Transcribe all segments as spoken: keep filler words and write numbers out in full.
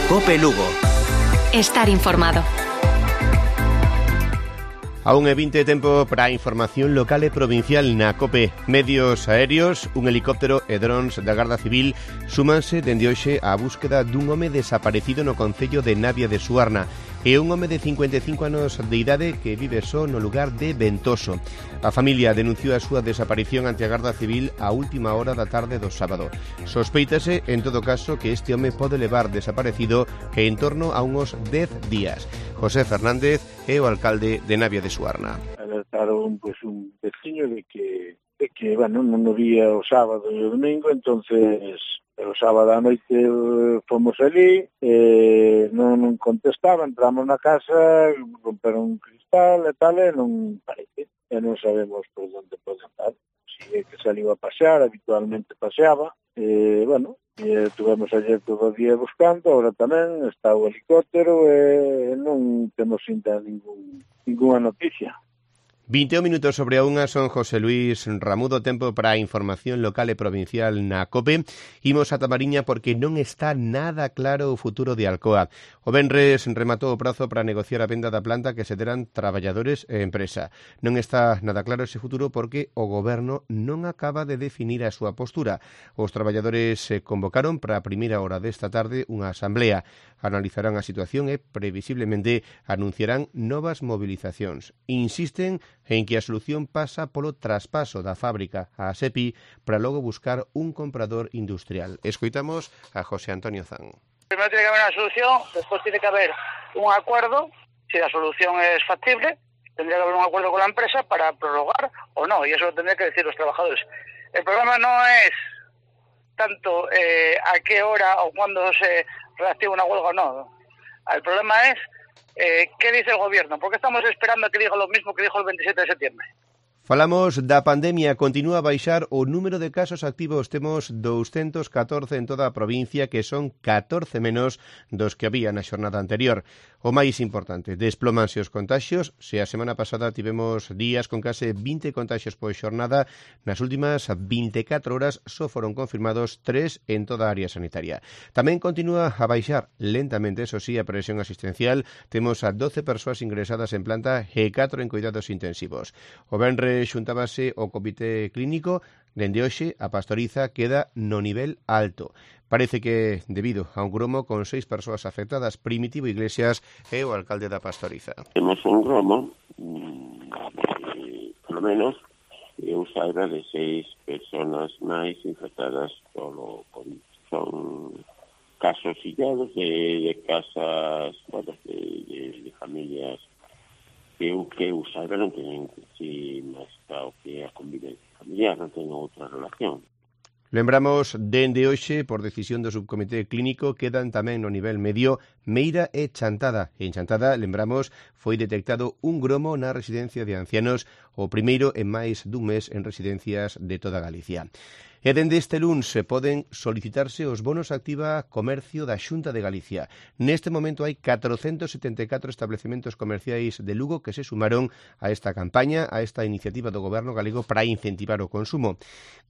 COPE Lugo. Estar informado. Aún é vinte tempo para a información local e provincial na COPE. Medios aéreos, un helicóptero e drons da Garda Civil súmanse dende hoxe á búsqueda dun home desaparecido no concello de Navia de Suarna. É un home de cincuenta e cinco anos de idade que vive só no lugar de Ventoso. A familia denunciou a súa desaparición ante a Garda Civil a última hora da tarde do sábado. Sospeítase, en todo caso, que este home pode levar desaparecido en torno a uns dez días. José Fernández é o alcalde de Navia de Suarna. Alertaron pues, un veciño de que, de que bueno, non o vía o sábado e o domingo, entonces o sábado a noite fomos ali, eh, non, non contestaba, entramos na casa, romperon un cristal e tal, e non parece, e non sabemos por onde pode estar. Si é que saliu a pasear, habitualmente paseaba, e, bueno, e tuvemos ayer todo o día buscando, ahora tamén está o helicóptero e non temos ainda ningún, ninguna noticia. vinte e un minutos sobre a unha, son José Luis Ramudo, tempo para a información local e provincial na COPE. Imos a Tamariña porque non está nada claro o futuro de Alcoa. O venres rematou o prazo para negociar a venda da planta que se deran traballadores e empresa. Non está nada claro ese futuro porque o goberno non acaba de definir a súa postura. Os traballadores se convocaron para a primeira hora desta tarde unha asamblea. Analizarán a situación e previsiblemente anunciarán novas movilizacións. Insisten en que a solución pasa polo traspaso da fábrica á SEPI para logo buscar un comprador industrial. Escoitamos a José Antonio Zan. Primero tiene que haber una solución, después tiene que haber un acuerdo. Si la solución es factible, tendría que haber un acuerdo con la empresa para prorrogar o no, y eso lo tendrían que decir los trabajadores. El problema no es tanto eh, a qué hora o cuándo se reactiva una huelga o no. El problema es Eh, ¿qué dice el gobierno? ¿Por qué estamos esperando a que diga lo mismo que dijo el veintisiete de septiembre? Falamos da pandemia, continúa a baixar o número de casos activos. Temos doscientos catorce en toda a provincia, que son catorce menos dos que había na xornada anterior. O máis importante, desplomanse os contaxios. Se a semana pasada tivemos días con case vinte contaxios por xornada, nas últimas vinte e catro horas só foron confirmados tres en toda a área sanitaria. Tamén continúa a baixar lentamente, eso sí, a presión asistencial. Temos a doce persoas ingresadas en planta e catro en cuidados intensivos. O venres xuntábase o comité clínico. Dende hoxe a Pastoriza queda no nivel alto. Parece que debido a un gromo con seis persoas afectadas. Primitivo Iglesias é o alcalde da Pastoriza. Temos un gromo, eh, polo menos, eu saiba de seis persoas máis infectadas polo COVID. Son casos illados de, de casas, bueno, de, de, de familias que eu que eu saiba non teñen si máis o que a convivencia familiar, non teñen outra relación. Lembramos, dende hoxe, por decisión do subcomité clínico, quedan tamén no nivel medio Meira e Chantada. En Chantada, lembramos, foi detectado un gromo na residencia de ancianos, o primeiro en máis dun mes en residencias de toda Galicia. E dende este luns se poden solicitarse os bonos activa comercio da Xunta de Galicia. Neste momento hai catrocentos setenta e catro establecementos comerciais de Lugo que se sumaron a esta campaña, a esta iniciativa do Goberno galego para incentivar o consumo.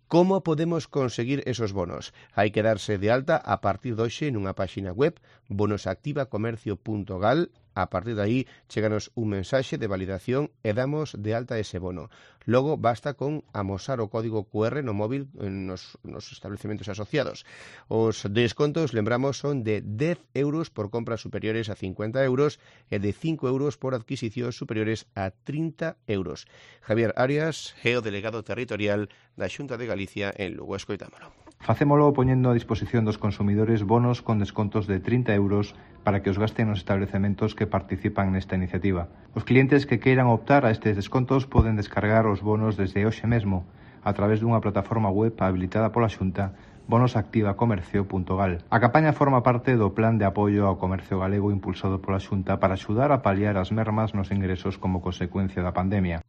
Como podemos conseguir esos bonos? Hai que darse de alta a partir de hoxe nunha páxina web, bonosactivacomercio punto gal. A partir de aí, cheganos un mensaxe de validación e damos de alta ese bono. Logo, basta con amosar o código cu erre no móvil nos, nos establecementos asociados. Os descontos, lembramos, son de dez euros por compras superiores a cincuenta euros e de cinco euros por adquisicións superiores a trinta euros. Javier Arias é o delegado territorial da Xunta de Galicia en Lugo. Escoitámolo. Facémolo poñendo a disposición dos consumidores bonos con descontos de trinta euros para que os gasten nos establecementos que participan nesta iniciativa. Os clientes que queiran optar a estes descontos poden descargar os bonos desde hoxe mesmo a través dunha plataforma web habilitada pola Xunta, bonosactivacomercio punto gal. A campaña forma parte do Plan de Apoio ao Comercio Galego impulsado pola Xunta para axudar a paliar as mermas nos ingresos como consecuencia da pandemia.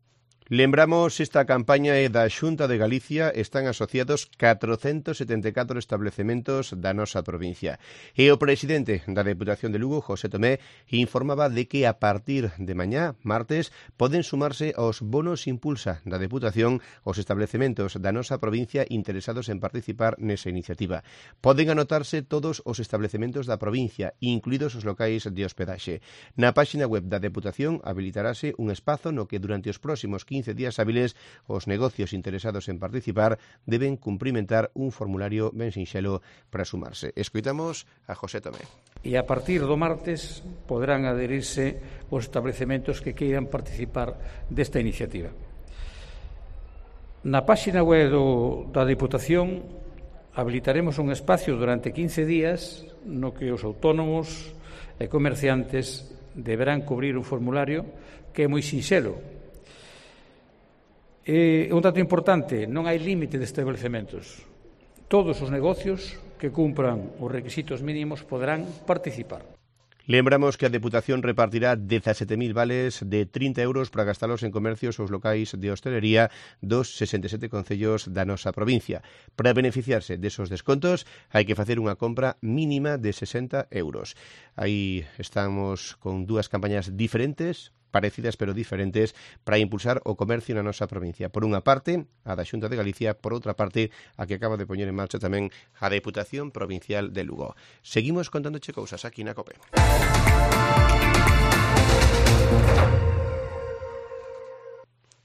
Lembramos esta campaña é da Xunta de Galicia, están asociados catrocentos setenta e catro establecementos da nosa provincia. E o presidente da Deputación de Lugo, José Tomé, informaba de que a partir de mañá, martes, poden sumarse aos bonos impulsa da Deputación os establecementos da nosa provincia interesados en participar nesa iniciativa. Poden anotarse todos os establecementos da provincia, incluídos os locais de hospedaxe. Na páxina web da Deputación habilitarase un espazo no que durante os próximos quince días hábiles os negocios interesados en participar deben cumprimentar un formulario ben sinxelo para sumarse. Escoitamos a José Tomé. E a partir do martes poderán adherirse os establecementos que queiran participar desta iniciativa. Na páxina web do, da Deputación habilitaremos un espacio durante quince días no que os autónomos e comerciantes deberán cubrir un formulario que é moi sinxelo. E un dato importante, non hai límite de establecementos. Todos os negocios que cumpran os requisitos mínimos poderán participar. Lembramos que a Deputación repartirá dezasete mil vales de trinta euros para gastalos en comercios ou locais de hostelería dos sesenta e sete concellos da nosa provincia. Para beneficiarse desos descontos hai que facer unha compra mínima de sesenta euros. Aí estamos con dúas campañas diferentes, parecidas pero diferentes, para impulsar o comercio na nosa provincia. Por unha parte, a da Xunta de Galicia, por outra parte, a que acaba de poñer en marcha tamén a Deputación Provincial de Lugo. Seguimos contándoche cousas aquí na COPE.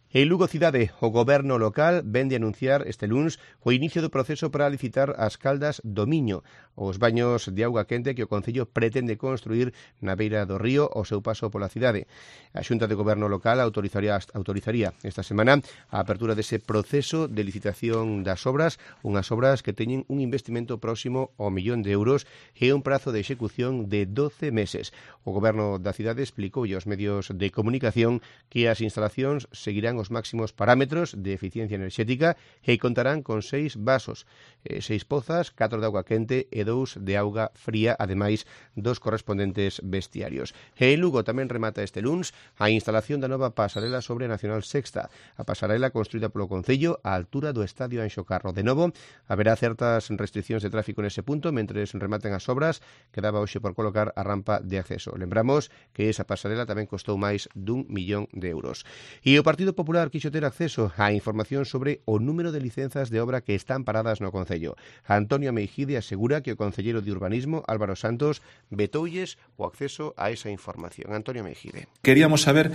En Lugo Cidade, o goberno local vén de anunciar este luns o inicio do proceso para licitar as caldas do Miño, os baños de auga quente que o Concello pretende construir na beira do río ao seu paso pola cidade. A Xunta de Goberno local autorizaría, autorizaría esta semana a apertura dese proceso de licitación das obras, unhas obras que teñen un investimento próximo ao millón de euros e un prazo de execución de doce meses. O goberno da cidade explicou aos medios de comunicación que as instalacións seguirán os máximos parámetros de eficiencia enerxética e contarán con seis vasos, eh, seis pozas, catro de auga quente e dous de auga fría, ademais dos correspondentes vestiarios. E en Lugo tamén remata este luns a instalación da nova pasarela sobre a Nacional Sexta. A pasarela construída polo Concello á altura do Estadio Anxo Carro. De novo, haberá certas restriccións de tráfico nese punto mentres rematen as obras que daba hoxe por colocar a rampa de acceso. Lembramos que esa pasarela tamén costou máis dun millón de euros. E o Partido Popular quixo ter acceso á información sobre o número de licenzas de obra que están paradas no Concello. Antonio Meijide asegura que o concelleiro de Urbanismo, Álvaro Santos, vetoulles o acceso a esa información. Antonio Meijide. Queríamos saber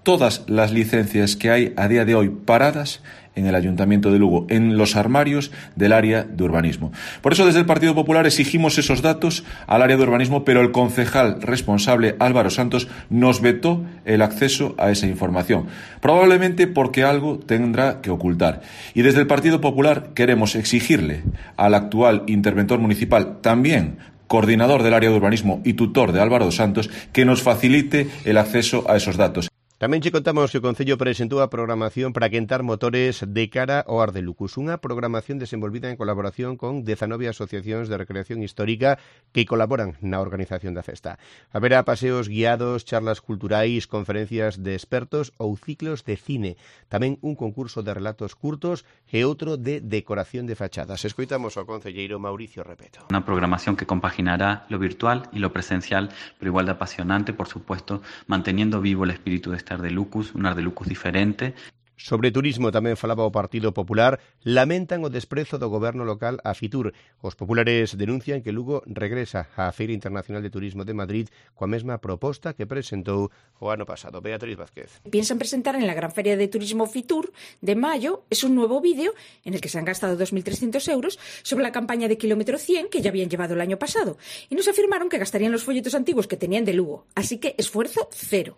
todas las licencias que hay a día de hoy paradas en el Ayuntamiento de Lugo, en los armarios del área de urbanismo. Por eso desde el Partido Popular exigimos esos datos al área de urbanismo, pero el concejal responsable, Álvaro Santos, nos vetó el acceso a esa información, probablemente porque algo tendrá que ocultar. Y desde el Partido Popular queremos exigirle al actual interventor municipal, también coordinador del área de urbanismo y tutor de Álvaro Santos, que nos facilite el acceso a esos datos. Tamén che contamos que o Concello presentou a programación para quentar motores de cara ao Ar de Lucus, unha programación desenvolvida en colaboración con dezanove asociacións de recreación histórica que colaboran na organización da festa. Haberá paseos guiados, charlas culturais, conferencias de expertos ou ciclos de cine, tamén un concurso de relatos curtos e outro de decoración de fachadas. Escoitamos ao concelleiro Mauricio Repeto. Una programación que compaginará lo virtual y lo presencial, pero igual de apasionante, por supuesto, manteniendo vivo el espíritu de Ar de Lucus, un Ar de Lucus diferente. Sobre turismo tamén falaba o Partido Popular, lamentan o desprezo do goberno local a Fitur. Os populares denuncian que Lugo regresa á Feira Internacional de Turismo de Madrid coa mesma proposta que presentou o ano pasado. Beatriz Vázquez. Piensan presentar en la Gran Feria de Turismo Fitur de mayo es un nuevo vídeo en el que se han gastado dos mil trescientos euros sobre la campaña de kilómetro cien que ya habían llevado el año pasado y nos afirmaron que gastarían los folletos antiguos que tenían de Lugo. Así que esfuerzo cero.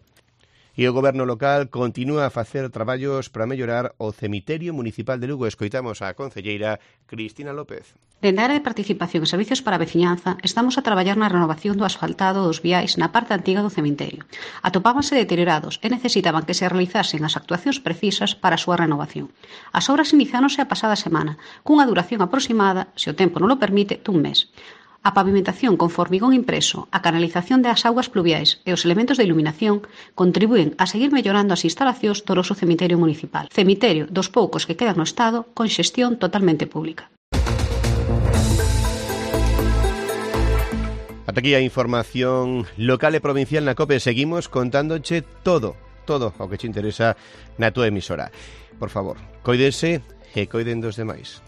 E o goberno local continúa a facer traballos para mellorar o cemiterio municipal de Lugo. Escoitamos a concelleira Cristina López. Dende a área de participación e servicios para a veciñanza, estamos a traballar na renovación do asfaltado dos viais na parte antiga do cemiterio. Atopábanse deteriorados e necesitaban que se realizasen as actuacións precisas para a súa renovación. As obras iniciáronse a pasada semana, cunha duración aproximada, se o tempo non o permite, dun mes. A pavimentación con formigón impreso, a canalización das augas pluviais e os elementos de iluminación contribúen a seguir mellorando as instalacións do noso cemiterio municipal. Cemiterio dos poucos que quedan no Estado con xestión totalmente pública. Ata aquí a información local e provincial na COPE. Seguimos contándoche todo, todo o que te interesa na túa emisora. Por favor, coídense e coiden dos demais.